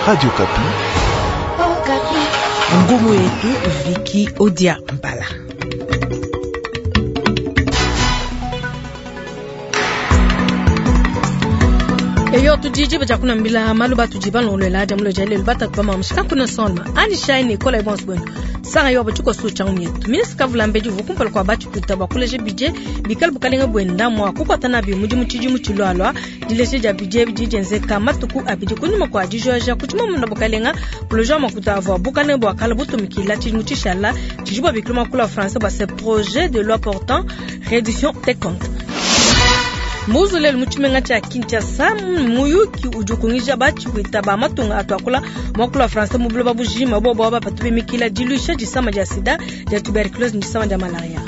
Radio Okapi. Ngumu yetu Viki Odia Mbala. Eyo tudiji baja kunambila malu batudi balongolola dia mulo dia lelu batatu ba mamushika kuna sonma ani shine kola ibonso bwenu sanga yo batuko su changu mietu ministre kavula mbedi uvu kumpala kwa batshipwita bua kuleja budget bikala bukalenga buenda mua kukuata nabi mudimu tshidimu tshilualua. Dileja dia budget bidi dienzeka matuku abidi kunyima kua dijoja ku tshimamunda bukalenga kuleja makuta avua bukalenga bua kala butumikila tshidimu tshishala tshidi bua bikila makulu a français bua ce projet de loi portant réduction des comptes. Muzulele mu tshimenga tshia Kinshasa, muyuki udi ukungija batshipwita ba matunga atuakula muakulu wa français mu buloba bujima bobo aba batu bimikila diluisha disama dia sida, dia tuberculose ne disama dia malaria.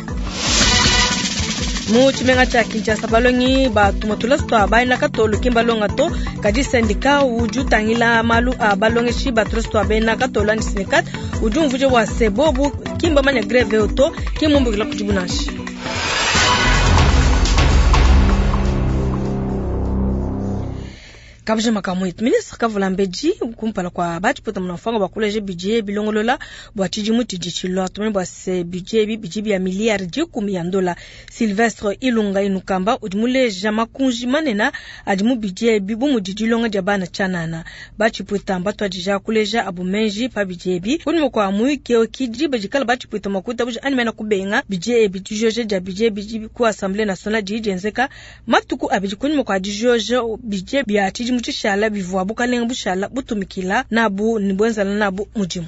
Mu tshimenga tshia Kinshasa, balongi batuma tulasa tua bena katolo ki mbalonga to, kadi syndicat udi utangila malu a balongeshi ba tulasa tua bena katolo anyi SYNECAT udi umvuija bua se bobu ki mbamanya greve eu to, ki mmumbukila kudibu nansha. Kabuja makamu etu. Ministre Kavula Mbedi kumpala kwa batshipwita munamfwanga bua kuleja budget bilongolola bua tshidimu tshidi tshilua. Tumanye bua se budget ebi bidi bia miliyari dikumi ya ndola. Sylvestre Ilunga Inukamba udi muleja makunji manene adi mu budget ebi bu mudi dilonga dia bana tshianana. Batshipwita mbatuadija kuleja abu menji pa budget ebi. Kunyima kua muyuki eu ki diba dikala batshipwita mua kuitabuja anyi mena kubenga budget ebi. Dijoja dia budget ebi ku Assemblée nationale didi dienzeka matuku abidi kunyima kua dijoja budget bia tshidimu tshishala bivua bukalenga bushala butumikila nabu ne buenzela nabu mudimu.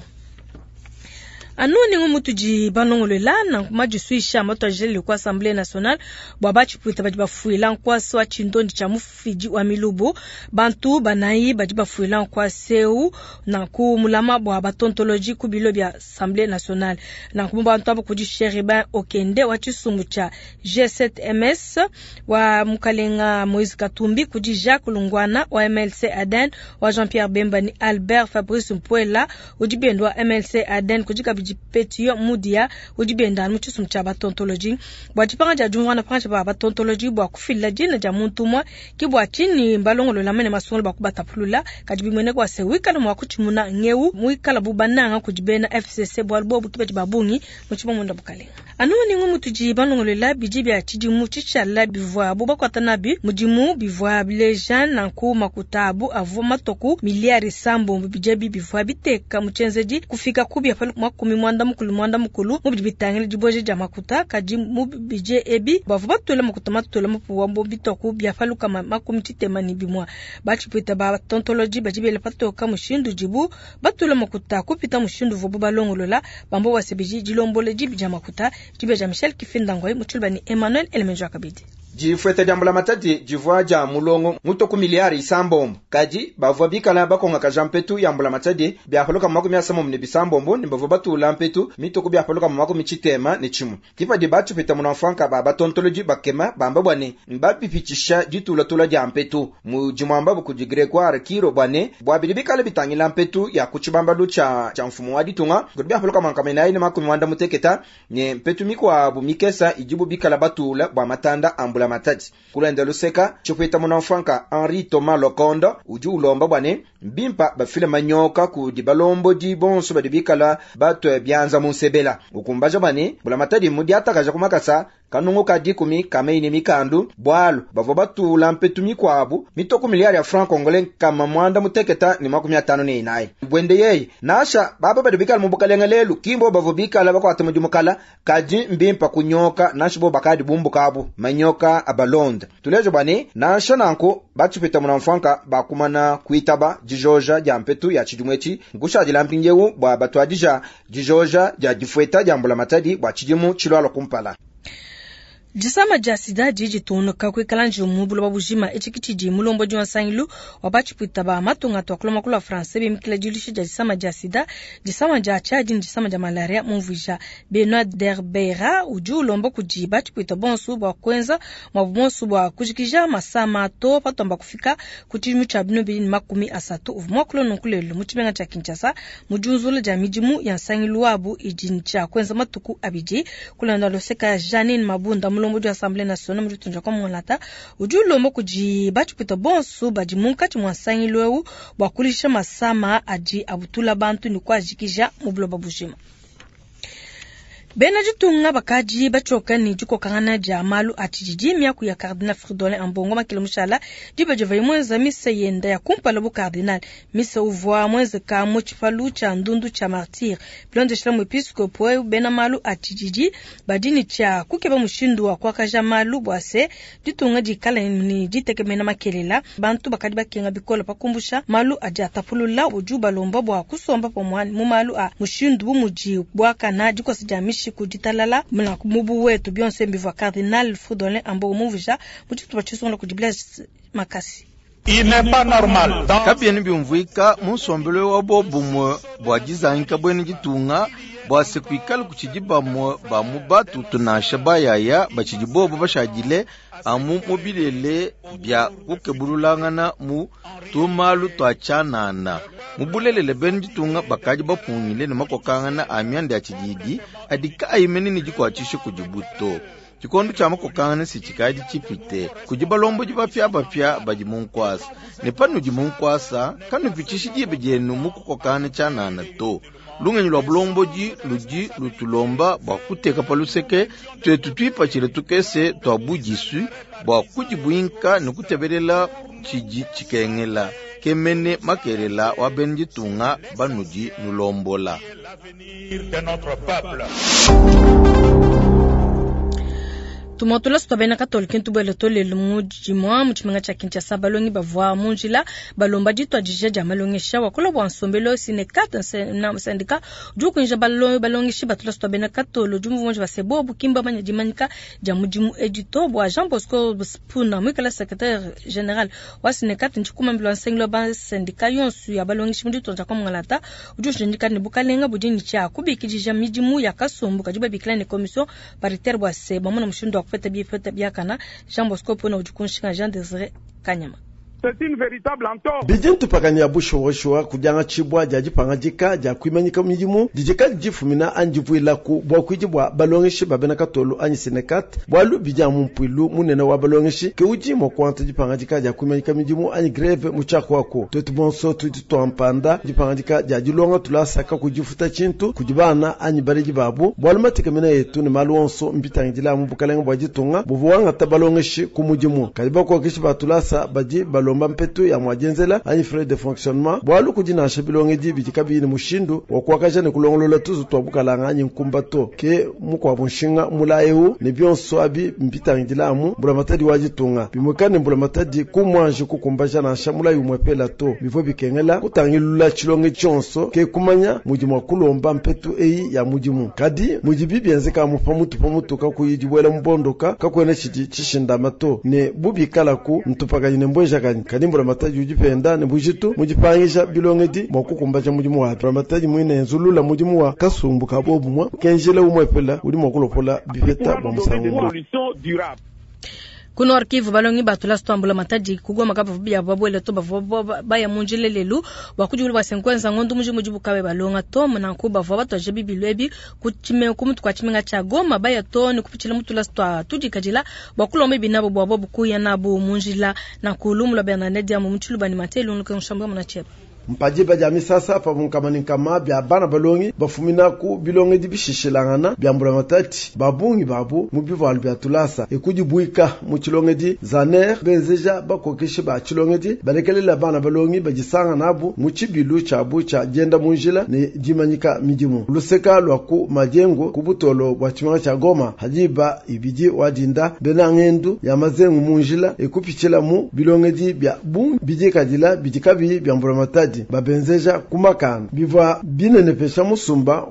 Anu ningu mutudi balongolola nanku madisuisha matuadijele ku Assemblée nationale bua batshipwita badi bafuila nkuasa wa tshindondi tshia mufidi wa milubu. Bantu banayi badi bafuila nkuasa eu nanku mulama bua batontoloji ku bilo bia Assemblée nationale. Nanku mu bantu aba kudi Chérubin Okende wa tshisumbu tshia G7MS wa Mukalenga Moïse Katumbi, kudi Jacques Lungwana wa MLC Aden, wa Jean-Pierre Bemba ni Albert Fabrice Mpuela udi benda wa MLC Aden, kudi kabidi Petio Mudia udi benda mu tshisumbu tshia batontoloji. Bua dipanga dia diumvuana pankatshi pa batontoloji bua kufila dina dia muntu umue, ke bua tshinyi mbalongolola mene masungula bua kubatapulula. Kadi bimueneka bua se wikala mua kutshimuna ngeu muikala bu bananga kudi bena FCC bualu bobu ke badi ba bungi mu tshimamunda bukalenga. Anu ningu mutudi balongolola bidi bia tshidimu tshishala bivuabu bakuata nabi mudimu bivua bileja nanku makuta abu avua matoku miliyari isambombo. Bidi ebi bivua biteka mu tshienzedi kufika ku bia pa makumi muanda mukulu muanda mukulu mu bidi bitangila dibueja dia makuta. Kadi mu bidi ebi bavua batula makuta matula mapuwa bo bitoku bia pa lukama makumi tshitema ne bimua. Batshipwita ba tontoloji badi bela patoka mushindu udibu batula makuta kupita mushindu uvuabu balongolola. Bambo bua se bidi dilombola dibi dia makuta dibe dia Michel Kifindangoi mu tshiluba ne Emmanuel Elemenjo Akabidi. Difueta dia mbulamatadi divua dia mulongo mutoku miliyari isambombo. Kadi bavua bikala bakongakaja mpetu ya mbulamatadi biapaluka makumi asambombo ne bisambombo ne bavua batula mpetu mitoku biapaluka makumi tshitema ne tshimue. Kipadi batshipita munamfwanka ba batontoloji bakema bamba bua ne mbapipitisha ditulatula dia mpetu mu dimuamba kudi Gregoire Kiro bua ne bua bidi bikala bitangila mpetu ya ku tshibambalu tshia mfumu wa ditunga kudi biapaluka makumi anayi ne makumi muanda muteketa ne mpetu mikuabu mikesa idibu bikala batula bua matanda a mbulamatadi. Kulenda luseka tshipwita munamfwanka Henri Thomas Lokondo udi ulomba bua ne mbimpa bafile manyoka kudi balombodi bonso badi bikala batue bianza mu nsebela. Ukumbaja bua ne mbulamatadi mudiatakaja ku makasa kanungu ka dikumi kamei ne mikandu bualu bavua batula mpetu mikuabu mitoku miliyari ya franc congolais kama muanda muteketa ne makumi atanu ne inayi. Bwende yeye nasha baba badi bikala mu bukalenga lelu kimbo bavua bikala bakuata mudimu kala kadi mbimpa kunyoka nasha bo bakadi bumbukabu manyoka abalonda. Tuleje bua ne nansha nanku batshipita munamfwanka bakumana kuitaba dijoja dia mpetu ya tshidimu etshi nkushadila mpindiewu bua batuadija dijoja dia difueta dia mbulamatadi bua tshidimu tshilualua kumpala. Disama dia sida didi ditungunuka kuikala njiwu mu buloba bujima. Etshi ke tshidi mulombodi wa nsangilu wa batshipwita ba matunga atuakula muakulu wa français bimikila diluisha dia disama dia sida, disama dia tshiadi ne disama dia malaria mumvuija. Benoit Derbeira udi ulomba kudi batshipwita bonso bua kuenza muabu bonso bua kujikija masama to patuamba kufika ku tshidimu tshia binu bibili ne makumi asatu. Uvua muakula nunku lelu mu tshimenga tshia Kinshasa mu diunzula dia midimu ya nsangilu wabu idi ne tshia kuenza matuku abidi. Kulanda luseka Janine Mabunda mulombo mulombodi wa Assemblee nationale mu ditunga dia Kongo udi ulomba kudi batshipwita bonso badi munkatshi mua nsangilu eu bua kuluisha masama adi abutula bantu ne kuajikija mu buloba bujima. Bena ditunga bakadi batshioka ne dikokangana dia malu a tshididi miaku ya Cardinal Fridolin Ambongo makele mushala diba divuaye muenza misa yenda ya kumpala bu cardinal. Misa uvua muenzeka mu tshipalu tshia ndundu tshia Martyr. Bilondeshila muepiskopo eu, bena malu a tshididi badi ne tshia kukeba mushindu wa kuakaja malu bua se ditunga dikale ne ditekemena makelela. Bantu bakadi bakenga bikole pa kumbusha malu adi atapulula. Udi ubalomba bua kusomba pamue mu malu a mushindu bu mudi buakana, dikosa dia mishiku, ditalala mu buwetu. Bionso bivua Cardinal Fridolin Ambongo mumvuija mu tshitupa tshisungula kudi Blaise Makasi. Il n'est pas normal. Kabiena biumvuika mu nsombelu wa bobumue bua dizangika buena ditunga bua se kuikala kutshidi bamue ba mu batutu nansha bayaya batshidi bobo bashadile amu mu bilele bia kukebululangana mu tumalu tua tshianana. Mu bulelele bena ditunga bakadi bapungile ne makokangana a mianda ya tshididi adi kaayi mene ne dikuatshisha kudi buto. Tshikondo tshia makokangana si tshikadi tshipite kudi balombodi bapiabapia badi mu nkuasa, ne panudi mu nkuasa kanupitshishi diba dienu mu kukokangana tshianana to. Lungenyi lua bulombodi ludi lutulomba bua kuteka pa luseke tuetu tuipatshile tukese tua budisu bua kudibuinka ne kutebelela tshidi tshikengela kemene makelela wa bena ditunga banudi nulombola. Tumotula sutwa bena Katolike ntubwele tolelo mu dimua mu tshimenga tshia Kinshasa balongi bavua mu njila balomba dituadija dia malongesha wakula bua nsombelu Synecat syndicat udi ukunja balongeshi batula sutwa bena Katolo udi muvunji ba sebobu kimba manya dimanyika dia mudimu edito bua Jean Bosco Spuna muikala secrétaire général wa Synecat ntshikumambila nsengelo ba syndicat yonso ya balongeshi mu ditunga dia Kongo udi ushindika ne bukalenga budi ne tshia kubikidija midimu ya kasumbu kadi babikila ne commission paritaire bua se bamona mushindu wa kupeta bipeta biakana. Jean Bosco Pona udi kunshinga Jean Désiré Kanyama. C'est une véritable entorse. Bidi ntupakanya bushuwashuwa kudianga tshibwa dia dipangadika dia kuimanyika midimu didikadi difumina anyi divuilaku bua kuidi bua balongeshi ba bena Katolo anyi Synecat bualu bidi amu mpuilu munene wa balongeshi ke udi mua kuanta dipangadika dia kuimanyika midimu anyi greve mu tshiakuaku. Tuetu bonso tudi tuampanda dipangadika dia dilonga tulasaka kudifuta tshintu kudi bana anyi baledi babu bualu matekemena yetu ne malu onso mbitangidila mu bukalenga bua ditunga buvua wangata balongeshi ku mudimu. Kadi bakokeshi ba tulasa badi balomba mpetu ya mwadienzela anyi frais de fonctionnement bualu kudi nansha bilongedi bidi kabiyi ne mushindu wa kuakaja ne kulongolola tuzu tua bukalanga anyi nkumba to ke mukuabu nshinga mula eu ne bionso abi mbitangidila amu mbulamatadi wa ditunga bimwekane mbulamatadi kumwanje kukumbaja nansha mulayi umwepela to bivua bikengela kutangilula tshilonge tshionso ke kumanya mudi mua kulomba mpetu eyi ya mudimu. Kadi mudi bibienzeka amu pamutu pamutu kakuyi dibuela mubondoka kakuena tshidi tshishindama to ne bubikalaku ntupakanyi ne mbwejakanyi. Kadi mbulamatadi udi penda ne bujitu mudipangisha bilongedi mua kukumbaja mudimu wapi. Mbulamatadi mwine nzulula mudimu wa kasumbu ka bobumwa kenjela umwepela udi mua kulopola bipeta bua musangu. Ku Nord Kivu balongi batula sitwambula matadi kugoma kapa bia babwele to bavua baya mu njila lelu bua kudiwula bua senkwenza ngondo muji mudibu kabe balonga to nanku bavua batwaje bibilu ebi ku chime ku mutu kwa tshimenga tshia Goma baya to ne kupitshila mutula sitwa tudikadila bua kulomba binabo bua bobu kuya nabo mu njila nanku lumula Bernadette Diamu mu Tshiluba ne Matelu nluke nshamba muna cheba. Mpadiba dia misasa pavunkama ne nkama bia bana balongi bafumina ku bilongedi bishishilangana bia mbulamatadi babungi babu mu bivualu bia tulasa ekudibuika mu tshilongedi zaner benzeja bakokeshi ba tshilongedi balekelela bana balongi badisanga nabu mu tshibilu tshiabu tshia dienda mu njila ne dimanyika midimu. Luseka lua ku Majengo ku butolo bua tshimenga tshia Goma hadiba ibidi wadinda bena ngendu ya mazengu mu njila ekupitshila mu bilongedi bia bungi bidikadila bidi kabiyi bia mbulamatadi babenzeja kumakanda bivua binenepesha musumba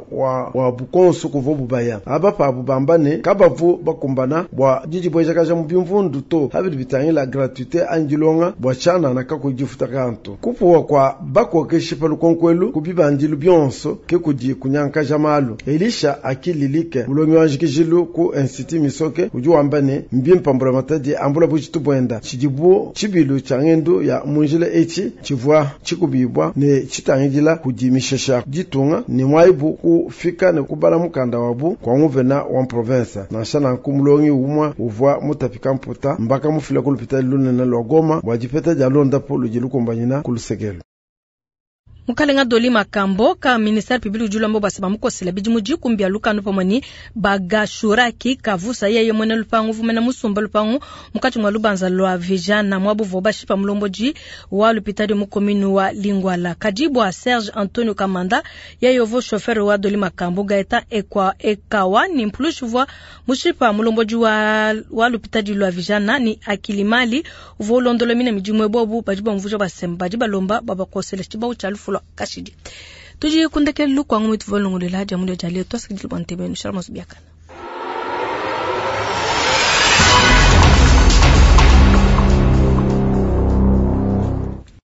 wa bukonsu kuvua bubaya aba pabu bamba ne kabavu bakumbana bua didibwejakaja mu bimvundu to habidi bitangila gratuité anyi dilonga bua tshianana kakudifuta kantu kupuwa kwa bakokeshi pa lukonkwelu ku bibandilu bionso ke kudi kunyankaja malu. Elisha akililike mulongi wa njikijilu ku Institut Misoke udi wamba ne mbimpa mbulamatadi ambula bujitu bwenda tshidibu tshibilu tshia ngendu ya munjila etshi tshivua tshikubibwa. tshifundibwa ne tshitangidila kudi mishesha ditunga ne mwaibu kufika ne kubala mukanda wabu kwa nguvena wa province. Nansha nanku mulongi umwa uvwa mutapika mputa mbaka mufila ku lupitali lunene lwa Goma bwa dipeta dia londapo ludi lukumbanyina ku lusekelo. Mukalenga Doli Makambo ka ministère public udi ulomba bua se bamukosela bidimu dikumi bia lukanu pamue ne Bagashuraki Kavusa yeye muena lupangu uvua muena musumba lupangu munkatshi mua lubanza lua Vijana muabu uvua bashipa mulombodi wa lupitadi mu commune wa Lingwala. Kadi bua Serge Antonio Kamanda yeye uvua chauffeur wa Doli Makambo Gaetan Ekwa Ekawa ni mpulushi uvua mushipa mulombodi wa, wa lupitadi lua Vijana ni Akilimali uvua ulondola mina midimu ebobu badi bamvuja basemba badi balomba babakosela tshibawu tshia lufu lua kashidi. Tudi kundekelu kwangu mwitu valongolela dia mulio dia leo twasakidila bua ntebe nushala masu biakana.